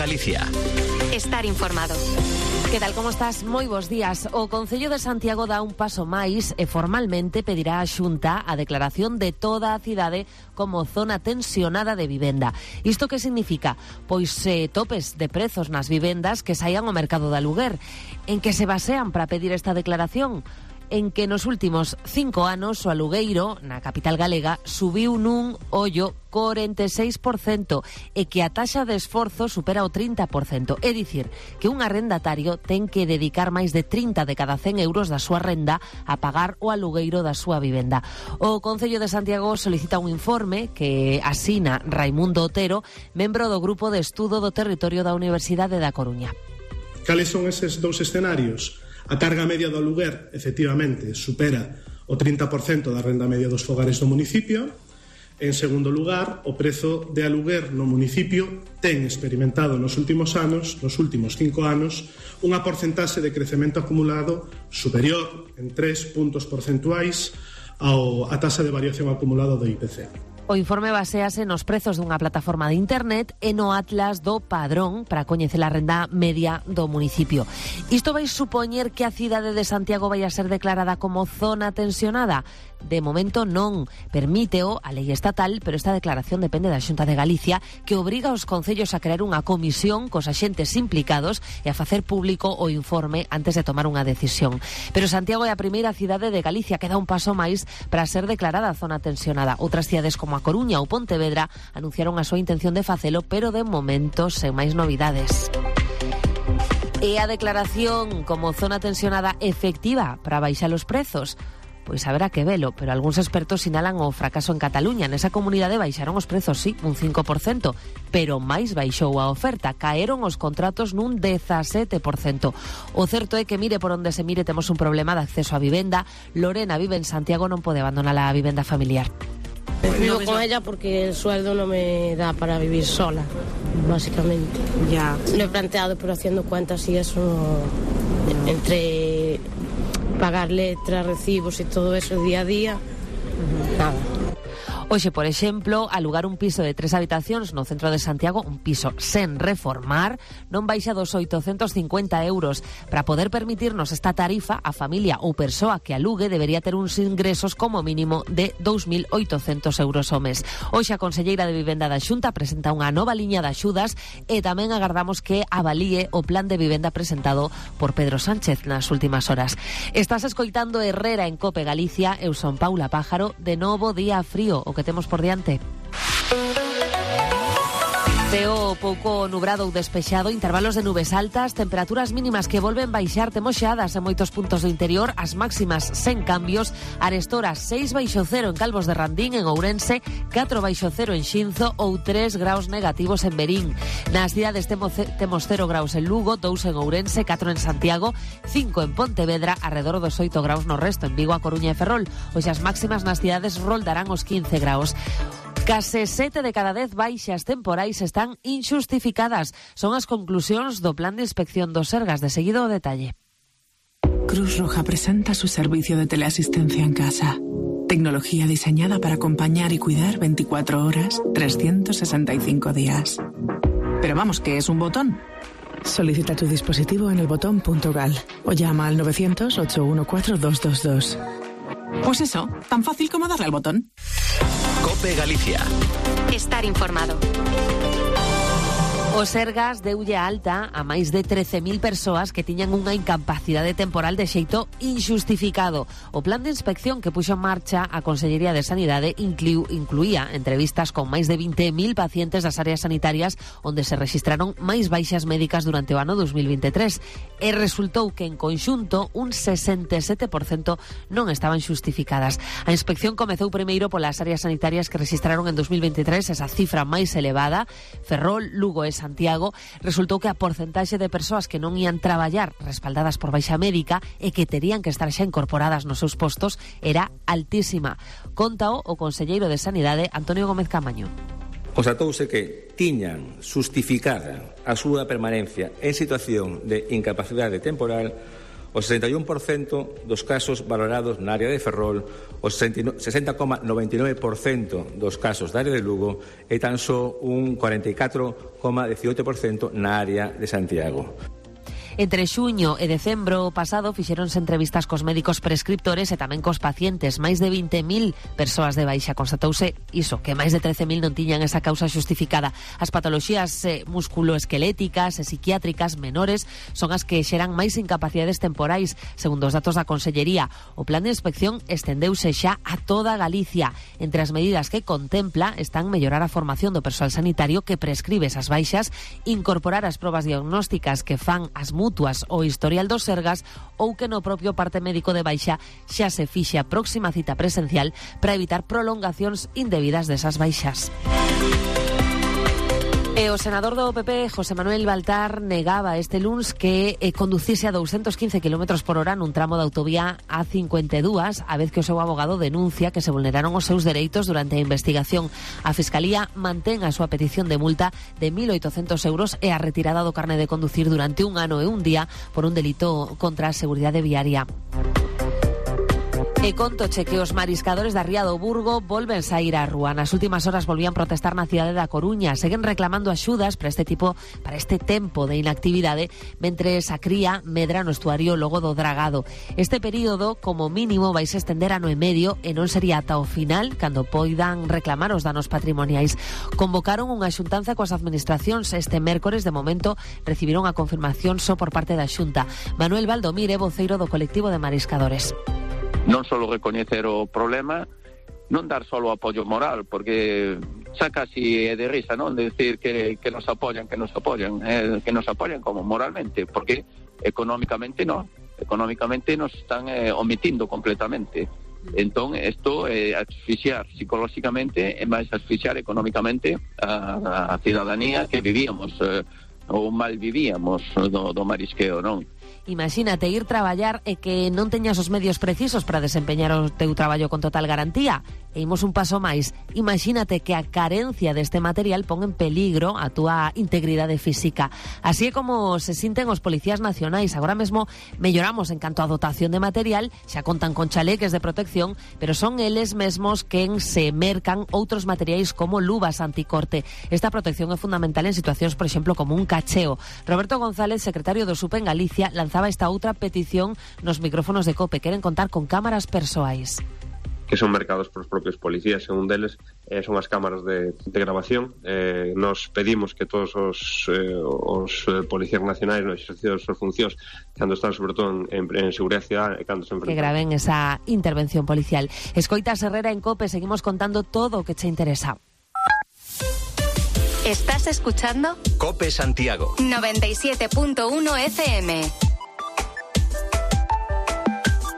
Galicia. Estar informado. Que tal, como estás? Moi bons días. O Concello de Santiago dá un paso máis e formalmente pedirá á Xunta a declaración de toda a cidade como zona tensionada de vivenda. Isto que significa? Pois topes de prezos nas vivendas que saian ao mercado de aluguer. En que se basean para pedir esta declaración? En que nos últimos 5 anos o alugueiro na capital galega subiu nun ollo 46% e que a taxa de esforzo supera o 30%. É dicir, que un arrendatario ten que dedicar máis de 30 de cada 100 euros da súa renda a pagar o alugueiro da súa vivenda. O Concello de Santiago solicita un informe que asina Raimundo Otero, membro do Grupo de Estudo do Territorio da Universidade da Coruña. Cales son eses dous escenarios? A carga media do aluguer, efectivamente, supera o 30% da renda media dos fogares do municipio. En segundo lugar, o prezo de aluguer no municipio ten experimentado nos últimos anos, nos últimos 5 anos, unha porcentaxe de crecemento acumulado superior en 3 puntos porcentuais á taxa de variación acumulada do IPC. O informe basease nos prezos dunha plataforma de internet e no atlas do Padrón para coñecer a renda media do municipio. Isto vai supoñer que a cidade de Santiago vai a ser declarada como zona tensionada? De momento non. Permíteo a lei estatal, pero esta declaración depende da Xunta de Galicia, que obriga aos concellos a crear unha comisión cos axentes implicados e a facer público o informe antes de tomar unha decisión. Pero Santiago é a primeira cidade de Galicia que dá un paso máis para ser declarada zona tensionada. Outras cidades como a Coruña ou Pontevedra anunciaron a súa intención de facelo, pero de momento sen máis novidades. E a declaración como zona tensionada efectiva para baixar os prezos? Pois haberá que velo, pero algúns expertos sinalan o fracaso en Cataluña. Nesa comunidade baixaron os prezos, sí, un 5%, pero máis baixou a oferta. Caeron os contratos nun 17%. O certo é que, mire por onde se mire, temos un problema de acceso á vivenda. Lorena vive en Santiago, non pode abandonar a vivenda familiar. Vivo con ella porque el sueldo no me da para vivir sola, básicamente. Ya. Lo he planteado, pero haciendo cuentas y eso, entre pagar letras, recibos y todo eso día a día, nada. Hoxe, por exemplo, alugar un piso de 3 habitacións no centro de Santiago, un piso sen reformar, non baixa dos 850 euros. Para poder permitirnos esta tarifa, a familia ou persoa que alugue debería ter uns ingresos como mínimo de 2.800 euros ao mes. Hoxe a conselleira de Vivenda da Xunta presenta unha nova liña de axudas e tamén agardamos que avalíe o plan de vivenda presentado por Pedro Sánchez nas últimas horas. Estás escoitando Herrera en Cope Galicia. Eu son Paula Pájaro. De novo día frío, o que temos por diante. Ceo pouco nubrado ou despexado, intervalos de nubes altas, temperaturas mínimas que volven baixar, temos xeadas en moitos puntos do interior, as máximas sen cambios, arestora 6 baixo cero en Calvos de Randín, en Ourense, 4 baixo cero en Xinzo ou 3 graus negativos en Verín. Nas cidades temos 0 graus en Lugo, 2 en Ourense, 4 en Santiago, 5 en Pontevedra, arredor dos 8 graus no resto, en Vigo, A Coruña e Ferrol. Hoxe as máximas nas cidades roldarán os 15 graus. Case 7 de cada 10 baixas temporais están inxustificadas. Son as conclusións do Plan de Inspección do Sergas. De seguido o detalle. Cruz Roja presenta su servicio de teleasistencia en casa. Tecnología diseñada para acompañar y cuidar 24 horas, 365 días. Pero vamos, ¿qué es un botón? Solicita tu dispositivo en elbotón.gal o llama al 900-814-222. Pues eso, tan fácil como darle al botón. Cope Galicia. Estar informado. O Sergas deulle alta a máis de 13.000 persoas que tiñan unha incapacidade temporal de xeito inxustificado. O plan de inspección que puxo en marcha a Consellería de Sanidade incluía entrevistas con máis de 20.000 pacientes das áreas sanitarias onde se rexistraron máis baixas médicas durante o ano 2023 e resultou que en conxunto un 67% non estaban xustificadas. A inspección comezou primeiro polas áreas sanitarias que rexistraron en 2023 esa cifra máis elevada, Ferrol, Lugo e Santiago. Resultou que a porcentaxe de persoas que non ían traballar respaldadas por baixa médica e que terían que estar xa incorporadas nos seus postos era altísima. Contao o conselleiro de Sanidade, Antonio Gómez Camaño. Constatouse que tiñan justificada a súa permanencia en situación de incapacidade temporal o 61% dos casos valorados na área de Ferrol, o 60,99% dos casos da área de Lugo e tan só un 44,18% na área de Santiago. Entre xuño e decembro pasado fixeronse entrevistas cos médicos prescriptores e tamén cos pacientes. Máis de 20.000 persoas de baixa. Constatouse iso, que máis de 13.000 non tiñan esa causa xustificada. As patoloxías musculoesqueléticas e psiquiátricas menores son as que xeran máis incapacidades temporais, segundo os datos da Consellería. O plan de inspección estendeuse xa a toda Galicia. Entre as medidas que contempla están mellorar a formación do persoal sanitario que prescribe esas baixas, incorporar as probas diagnósticas que fan as mutuas o historial dos Sergas, ou que no propio parte médico de baixa xa se fixe a próxima cita presencial para evitar prolongacións indebidas desas baixas. E o senador do PP, José Manuel Baltar, negaba este luns que conducise a 215 km por hora nun tramo de autovía A52, a vez que o seu abogado denuncia que se vulneraron os seus dereitos durante a investigación. A Fiscalía mantén a súa petición de multa de 1.800 euros e a retirada do carné de conducir durante un ano e un día por un delito contra a seguridade viaria. E contoche que os mariscadores da Ría do Burgo volven saír á rúa. Nas últimas horas volvían protestar na cidade da Coruña. Seguen reclamando axudas para este tempo de inactividade, mentres a cría medra no estuario logo do dragado. Este período, como mínimo, vai se estender ano e medio e non sería ata o final cando poidan reclamar os danos patrimoniais. Convocaron unha xuntanza coas administracións este mércores. De momento recibiron a confirmación só por parte da Xunta. Manuel Valdomir é voceiro do colectivo de mariscadores. Non só recoñecer o problema, non dar só o apoio moral, porque xa casi é de risa, non? De decir que nos apoyan como moralmente, porque económicamente non. Económicamente nos están omitindo completamente. Entón, isto é asfixiar psicolóxicamente e máis asfixiar económicamente a cidadanía que vivíamos, ou mal vivíamos do marisqueo, non? Imagínate ir traballar e que non teñas os medios precisos para desempeñar o teu traballo con total garantía. E imos un paso máis. Imagínate que a carencia deste material pon en peligro a túa integridade física. Así é como se sinten os policías nacionais. Agora mesmo melloramos en canto a dotación de material, xa contan con chaleques de protección, pero son eles mesmos quen se mercan outros materiais como luvas anticorte. Esta protección é fundamental en situacións, por exemplo, como un cacheo. Roberto González, secretario do SUP en Galicia, lanzaba esta outra petición nos micrófonos de COPE. Queren contar con cámaras persoais que son mercados por os propios policías, e un deles son as cámaras de grabación. Nos pedimos que todos os policías nacionais no exercicio das súas funcións, cando están sobre todo en seguridade cidadana e cando se enfrentan, que graven esa intervención policial. Escoitas Herrera en COPE, seguimos contando todo o que che interesa. ¿Estás escuchando? COPE Santiago 97.1 FM.